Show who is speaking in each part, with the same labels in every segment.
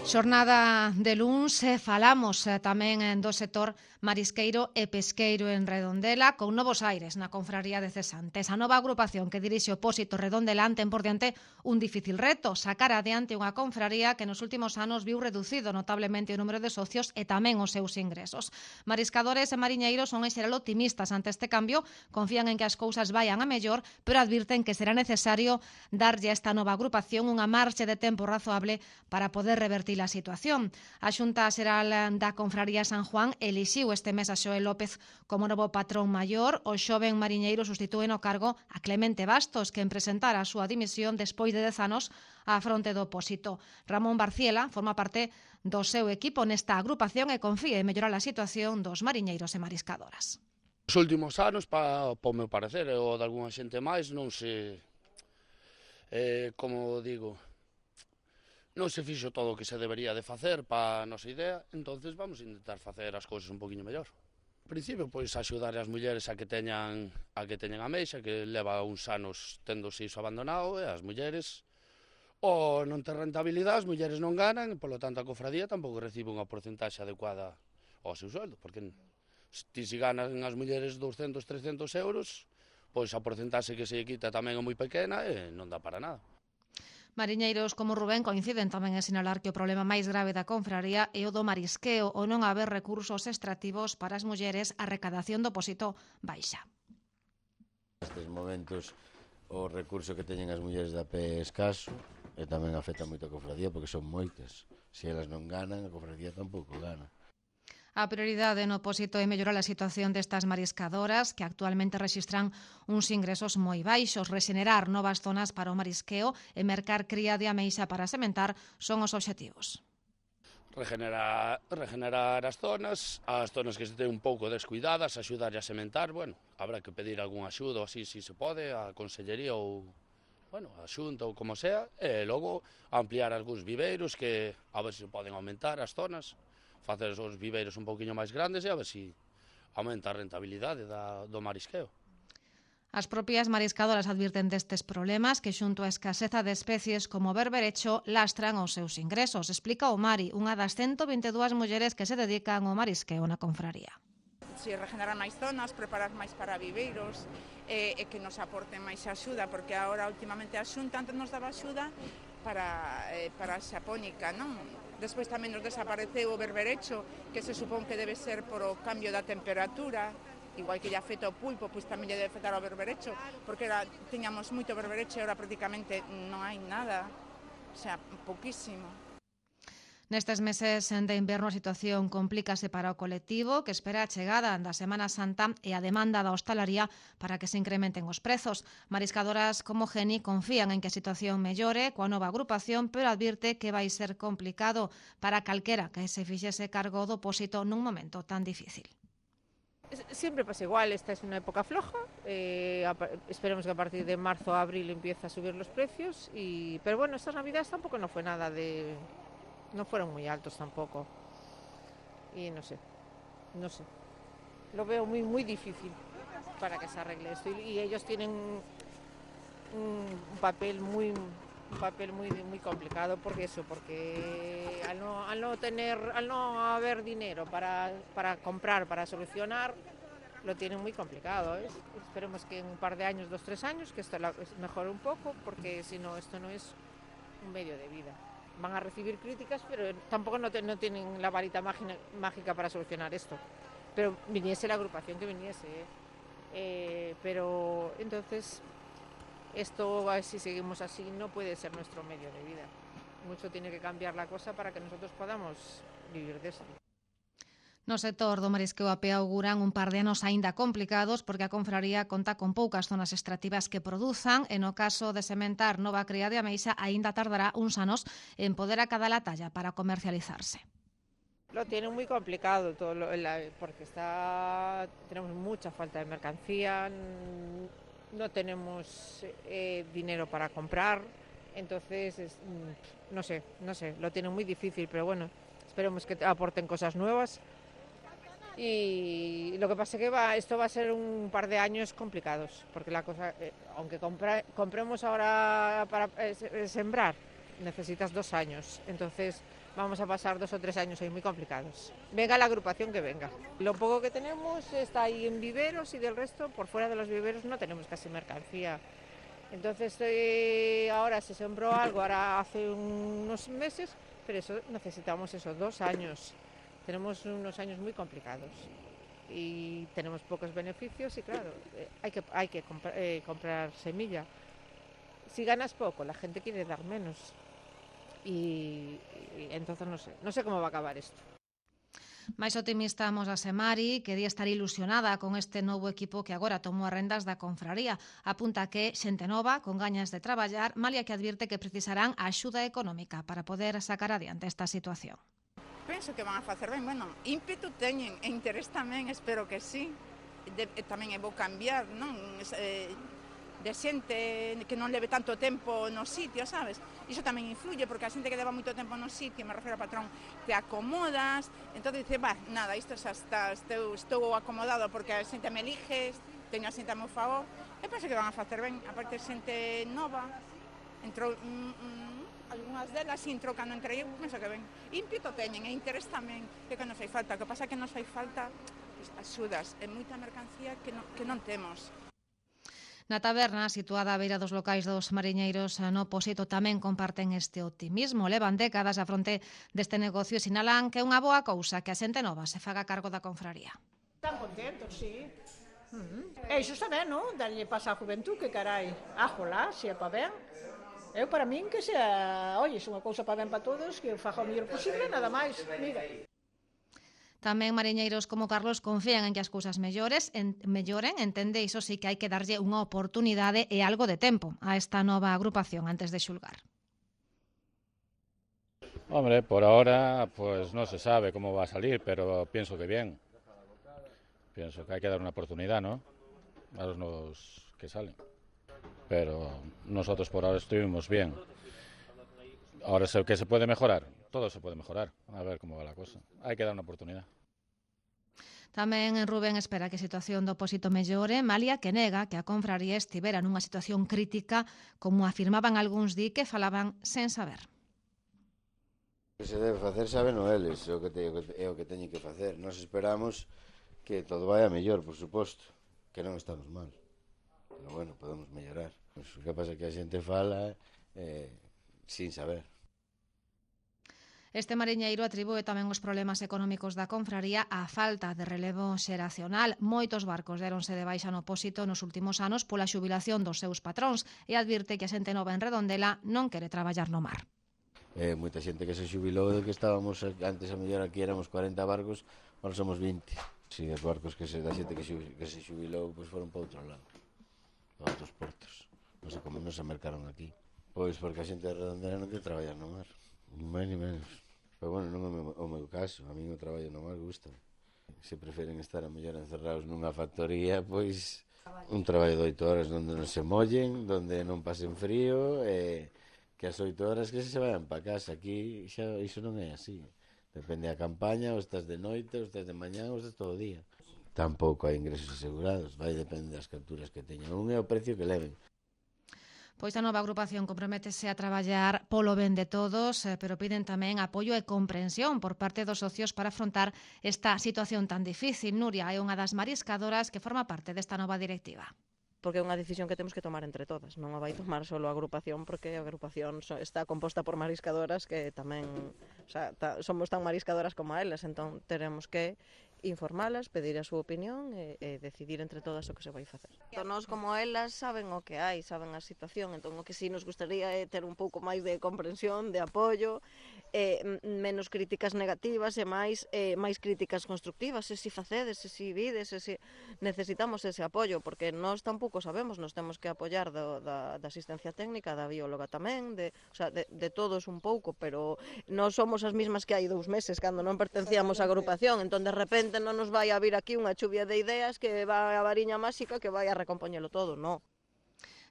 Speaker 1: Xornada de luns falamos tamén do sector marisqueiro e pesqueiro en Redondela con novos aires na confraría de cesantes. A nova agrupación que dirixe o Pósito Redondela ten por diante un difícil reto, sacar adiante unha confraría que nos últimos anos viu reducido notablemente o número de socios e tamén os seus ingresos. Mariscadores e mariñeiros son en xeral optimistas ante este cambio, confían en que as cousas vayan a mellor, pero advirten que será necesario darlle a esta nova agrupación unha marxe de tempo razoable para poder revertir a situación. A Xunta Xeral da Confraría San Juan elixiu este mes a Xoel López como novo patrón maior. O xoven mariñeiro sustitúe no cargo a Clemente Bastos, que presentara a súa dimisión despois de 10 anos á fronte do Pósito. Ramón Barciela forma parte do seu equipo nesta agrupación e confía en mellorar a situación dos mariñeiros e mariscadoras.
Speaker 2: Os últimos anos, para o meu parecer, ou de algunha xente máis, non se, como digo, non se fixo todo o que se debería de facer para a nosa idea, entonces vamos a intentar facer as cousas un poquinho mellor. En principio, pois, axudar as mulleres a que teñan a meixa, que leva uns anos tendo iso abandonado, e as mulleres, ou non ten rentabilidade, as mulleres non ganan, e, polo tanto, a cofradía tampouco recibe unha porcentaxe adecuada ao seu sueldo, porque se ganan as mulleres 200, 300 euros, pois a porcentaxe que se quita tamén é moi pequena e non dá para nada.
Speaker 1: Mariñeiros como Rubén coinciden tamén en sinalar que o problema máis grave da confraría é o do marisqueo, o non haber recursos extractivos para as mulleres, a recadación do Pósito baixa.
Speaker 3: Nestes momentos o recurso que teñen as mulleres da pé é escaso e tamén afecta moito a cofradía porque son moitas. Se elas non ganan, a cofradía tampouco gana.
Speaker 1: A prioridade no Pósito é mellorar a situación destas mariscadoras que actualmente rexistran uns ingresos moi baixos. Rexenerar novas zonas para o marisqueo e mercar cría de ameixa para sementar son os obxectivos.
Speaker 2: Regenerar as zonas que se ten un pouco descuidadas, axudar a sementar, bueno, habrá que pedir algún axudo así, se pode, a Consellería ou, bueno, a Xunta ou como sea, e logo ampliar algúns viveiros que a ver se poden aumentar as zonas, facer os viveiros un pouquiño máis grandes e a ver se aumenta a rentabilidade do marisqueo.
Speaker 1: As propias mariscadoras advirten destes problemas que xunto á escaseza de especies como o berberecho lastran os seus ingresos. Explica o Mari, unha das 122 mulleres que se dedican ao marisqueo na confraría.
Speaker 4: Se regenerar máis zonas, preparar máis para viveiros e que nos aporten máis axuda, porque agora últimamente a Xunta antes nos daba axuda para a xapónica, non? Despois tamén nos desapareceu o berberecho, que se supón que debe ser por o cambio da temperatura, igual que lle afecta o pulpo, pois tamén lle debe afectar ao berberecho, porque tiñamos moito berberecho e agora prácticamente non hai nada, o sea, pouquísimo.
Speaker 1: Nestes meses de inverno a situación complícase para o colectivo que espera a chegada da Semana Santa e a demanda da hostalaría para que se incrementen os prezos. Mariscadoras como Geni confían en que a situación mellore coa nova agrupación, pero advirte que vai ser complicado para calquera que se fixese cargo do Pósito nun momento tan difícil.
Speaker 5: Siempre pasa igual, esta es una época floja, esperemos que a partir de marzo o abril empiece a subir los precios, pero bueno, estas navidades tampoco no fue nada de... no fueron muy altos tampoco, y no sé, lo veo muy difícil para que se arregle esto, y ellos tienen un papel muy complicado porque al no haber dinero para comprar, para solucionar, lo tienen muy complicado, ¿eh? Esperemos que en un par de años, 2-3 años, que esto mejore un poco, porque si no, esto no es un medio de vida. Van a recibir críticas, pero tampoco no tienen la varita mágica para solucionar esto. Pero viniese la agrupación que viniese, pero entonces esto, si seguimos así, no puede ser nuestro medio de vida. Mucho tiene que cambiar la cosa para que nosotros podamos vivir de esto.
Speaker 1: No sector do marisqueo a pé auguran un par de anos aínda complicados porque a confraría conta con poucas zonas extractivas que produzan e no caso de sementar nova cría de ameixa aínda tardará uns anos en poder acadar a talla para comercializarse.
Speaker 5: Lo tienen muy complicado todo porque tenemos mucha falta de mercancía, no tenemos dinero para comprar, entonces no sé, lo tienen muy difícil, pero bueno, esperemos que aporten cosas nuevas. Y lo que pasa es que esto va a ser un par de años complicados, porque la cosa, aunque compremos ahora para sembrar, necesitas 2 años. Entonces vamos a pasar 2 o 3 años ahí muy complicados. Venga la agrupación que venga. Lo poco que tenemos está ahí en viveros y del resto, por fuera de los viveros no tenemos casi mercancía. Entonces ahora se sembró algo, ahora hace unos meses, pero eso necesitamos 2 años. Tenemos unos años muy complicados y tenemos pocos beneficios y claro, hay que comprar semilla. Si ganas poco, la gente quiere dar menos y entonces no sé cómo va a acabar esto.
Speaker 1: Máis optimista amosase Mari, que di estar ilusionada con este novo equipo que agora tomou as rendas da confraría. Apunta que xente nova, con gañas de traballar, malia que advirte que precisarán axuda económica para poder sacar adiante esta situación.
Speaker 4: Penso que van a facer ben, bueno, ímpetu teñen e interés tamén, espero que sí. Tamén é bo cambiar, non? De xente que non leve tanto tempo no sitio, sabes? Iso tamén influye, porque a xente que leva moito tempo no sitio, me refiro ao patrón, te acomodas, entón dice, nada, isto xa está, estou acomodado porque a xente me elige, teño a xente a meu favor, e penso que van a facer ben, aparte xente nova, entrou, algunhas delas entrou cando entrei, penso que ben, ímpeto teñen e interés tamén, que nos fai falta, o que pasa é que nos fai falta axudas, e moita mercancía que non temos.
Speaker 1: Na taberna, situada á beira dos locais dos mariñeiros no Pósito, tamén comparten este optimismo. Levan décadas a fronte deste negocio e sinalan que é unha boa cousa que a xente nova se faga cargo da confraría.
Speaker 6: Están contentos, sí. E iso está ben, non? Darlle pasa a juventud, que carai, ájola, se é pa ben. Eu, para min, que sea, é unha cousa pa ben pa todos, que faga o mellor posible, nada máis, mira.
Speaker 1: Tamén mariñeiros como Carlos confían en que as cousas melloren, entende, iso sí que hai que darlle unha oportunidade e algo de tempo a esta nova agrupación antes de xulgar.
Speaker 7: Hombre, por ahora pues no se sabe cómo va a salir, pero pienso que bien. Pienso que hay que dar una oportunidad, ¿no? A los nuevos que salen. Pero nosotros por ahora estuvimos bien. Ahora, ¿qué se puede mejorar? Todo se puede mejorar, a ver cómo va la cosa. Hai que dar unha oportunidade.
Speaker 1: Tamén Rubén espera que a situación do Pósito mellore, malia que nega que a confraría estivera nunha situación crítica, como afirmaban algúns di que falaban sen saber.
Speaker 3: O que se debe facer sabeno eles, é o que teñen que facer. Nos esperamos que todo vai a mellor, por suposto, que non estamos mal. Pero bueno, podemos mellorar. O que pasa é que a xente fala sin saber.
Speaker 1: Este mariñeiro atribúe tamén os problemas económicos da confraría á falta de relevo xeracional. Moitos barcos deronse de baixa no Pósito nos últimos anos pola xubilación dos seus patróns e advirte que a xente nova en Redondela non quere traballar no mar.
Speaker 3: Moita xente que se xubilou de que estábamos antes a mellor aquí éramos 40 barcos, agora somos 20. Si os barcos da xente que se xubilou pois foron para outro lado, para outros portos. Non sei como non se mercaron aquí. Pois porque a xente de Redondela non quere traballar no mar, ni máis ni menos. Pero bueno, non é o meu caso, a mí o traballo no mar gusta. Se preferen estar a mellor encerrados nunha factoría, pois un traballo de 8 horas onde non se mollen, onde non pasen frío, e que as 8 horas que se vayan para casa. Aquí xa iso non é así. Depende da campaña, ou estás de noite, ou estás de mañá, ou estás todo o día. Tampouco hai ingresos asegurados, vai depende das capturas que teñan. Un é o precio que leven.
Speaker 1: Pois a nova agrupación comprométese a traballar polo ben de todos, pero piden tamén apoio e comprensión por parte dos socios para afrontar esta situación tan difícil. Nuria é unha das mariscadoras que forma parte desta nova directiva.
Speaker 8: Porque é unha decisión que temos que tomar entre todas, non a vai tomar só a agrupación, porque a agrupación está composta por mariscadoras que tamén, somos tan mariscadoras como elas, entón teremos que informalas, pedir a súa opinión e decidir entre todas o que se vai facer. Nós como elas saben o que hai, saben a situación, entón o que sí nos gustaría é ter un pouco máis de comprensión, de apoio, menos críticas negativas e máis críticas constructivas, se si facedes, se si vides, se si necesitamos ese apoio, porque nós tampouco sabemos, nos temos que apoiar da asistencia técnica, da bióloga tamén, de todos un pouco, pero nós somos as mismas que hai 2 meses, cando non pertencíamos á agrupación, entón de repente non nos vai a vir aquí unha chuvia de ideas que vai a variña máxica que vai a recompoñelo todo, non.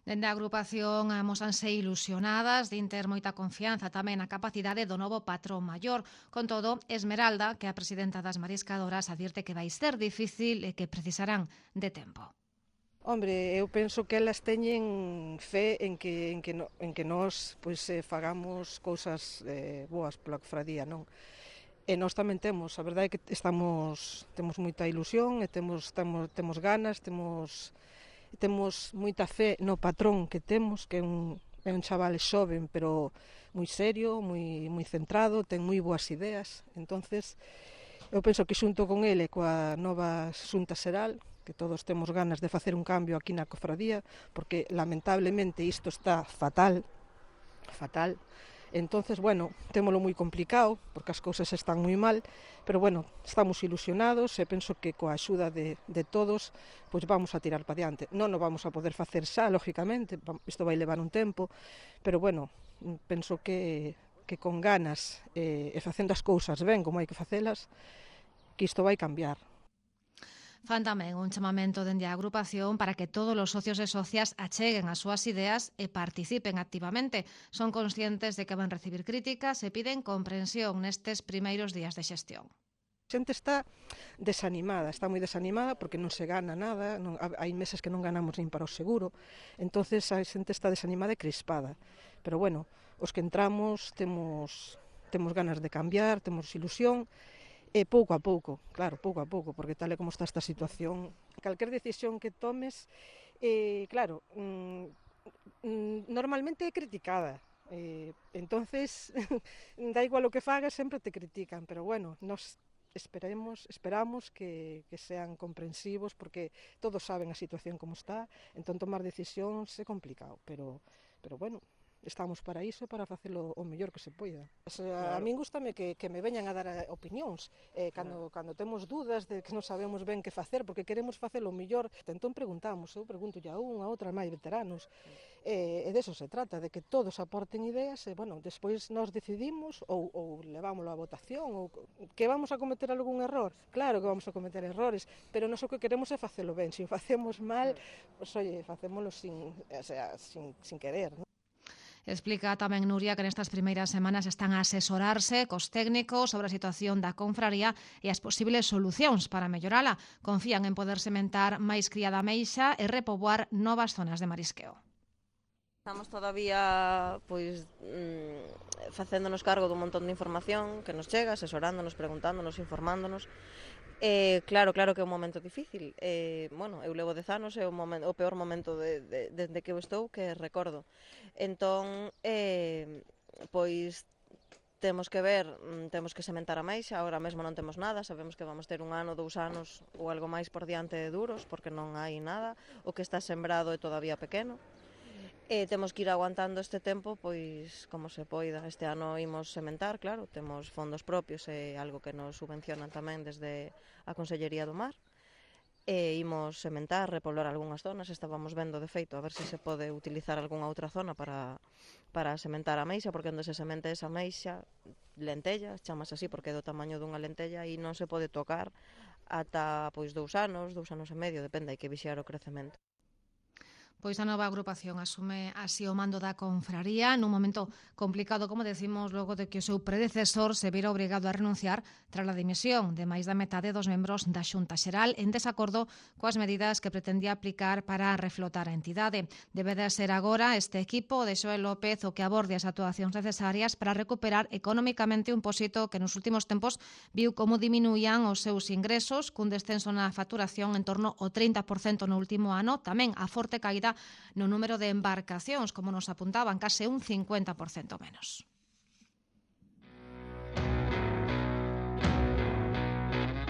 Speaker 1: Dende a agrupación amosanse ilusionadas, din ter moita confianza tamén na capacidade do novo patrón maior. Con todo, Esmeralda, que é a presidenta das mariscadoras, advirte que vai ser difícil e que precisarán de tempo.
Speaker 9: Hombre, eu penso que elas teñen fe en que nós fagamos cousas boas pola cofradía, non? E nós tamén temos, a verdade é que temos moita ilusión e temos ganas, temos moita fe no patrón que temos, que é un chaval xoven, pero moi serio, moi centrado, ten moi boas ideas. Entonces, eu penso que xunto con ele, coa nova xunta xeral, que todos temos ganas de facer un cambio aquí na cofradía, porque lamentablemente isto está fatal. Entonces, bueno, témolo moi complicado, porque as cousas están moi mal, pero bueno, estamos ilusionados e penso que coa axuda de todos, pois vamos a tirar para diante. Non o vamos a poder facer xa, lógicamente, isto vai levar un tempo, pero bueno, penso que con ganas e facendo as cousas ben como hai que facelas, que isto vai cambiar.
Speaker 1: Fan tamén un chamamento dende a agrupación para que todos os socios e socias acheguen as súas ideas e participen activamente. Son conscientes de que van recibir críticas e piden comprensión nestes primeiros días de xestión.
Speaker 9: A xente está moi desanimada porque non se gana nada, hai meses que non ganamos nin para o seguro, entonces a xente está desanimada e crispada. Pero bueno, os que entramos temos ganas de cambiar, temos ilusión, e pouco a pouco, porque tal e como está esta situación, calquer decisión que tomes, claro, normalmente é criticada, entonces da igual o que fagas, sempre te critican, pero bueno, nos esperamos que sean comprensivos, porque todos saben a situación como está, entón tomar decisións é complicado, pero bueno, estamos para iso, para facelo o mellor que se poida. A min gustame que me veñan a dar opinións, cando temos dúdas de que non sabemos ben que facer, porque queremos facelo o mellor, entón preguntamos, eu pregunto a un, a outra, máis veteranos, e deso se trata, de que todos aporten ideas, e, bueno, despois nós decidimos, ou levámoslo a votación, ou que vamos a cometer algún error, claro que vamos a cometer errores, pero nós o que queremos é facelo ben, se o facemos mal, pois, oye, facémolo sin querer, non?
Speaker 1: Explica tamén Nuria que nestas primeiras semanas están a asesorarse cos técnicos sobre a situación da confraría e as posibles solucións para mellorala. Confían en poder sementar máis cría da ameixa e repoboar novas zonas de marisqueo.
Speaker 8: Estamos todavía facéndonos cargo dun montón de información que nos chega, asesorándonos, preguntándonos, informándonos. Claro que é un momento difícil. Eu levo 10 anos, é o peor momento desde que eu estou, que recordo. Entón, temos que ver, temos que sementar a maixa, agora mesmo non temos nada, sabemos que vamos ter 1 ano, 2 anos ou algo máis por diante de duros, porque non hai nada, o que está sembrado é todavía pequeno. Temos que ir aguantando este tempo, pois, como se poida. Este ano imos sementar, claro, temos fondos propios e algo que nos subvencionan tamén desde a Consellería do Mar. Imos sementar, repoblar algunhas zonas, estábamos vendo de feito a ver se pode utilizar algunha outra zona para sementar a meixa, porque onde se semente esa meixa, lentella, chamase así porque é do tamaño dunha lentella e non se pode tocar ata 2 anos, 2 anos e medio, depende, hai que vixiar o crecemento.
Speaker 1: Pois a nova agrupación asume así o mando da confraría nun momento complicado, como decimos, logo de que o seu predecesor se vira obrigado a renunciar tras a dimisión de máis da metade dos membros da Xunta Xeral en desacordo coas medidas que pretendía aplicar para reflotar a entidade. Debe de ser agora este equipo de Xoel López o que aborde as actuacións necesarias para recuperar económicamente un pósito que nos últimos tempos viu como diminuían os seus ingresos, cun descenso na facturación en torno ao 30% no último ano, tamén a forte caída no número de embarcacións, como nos apuntaban, case un 50% menos.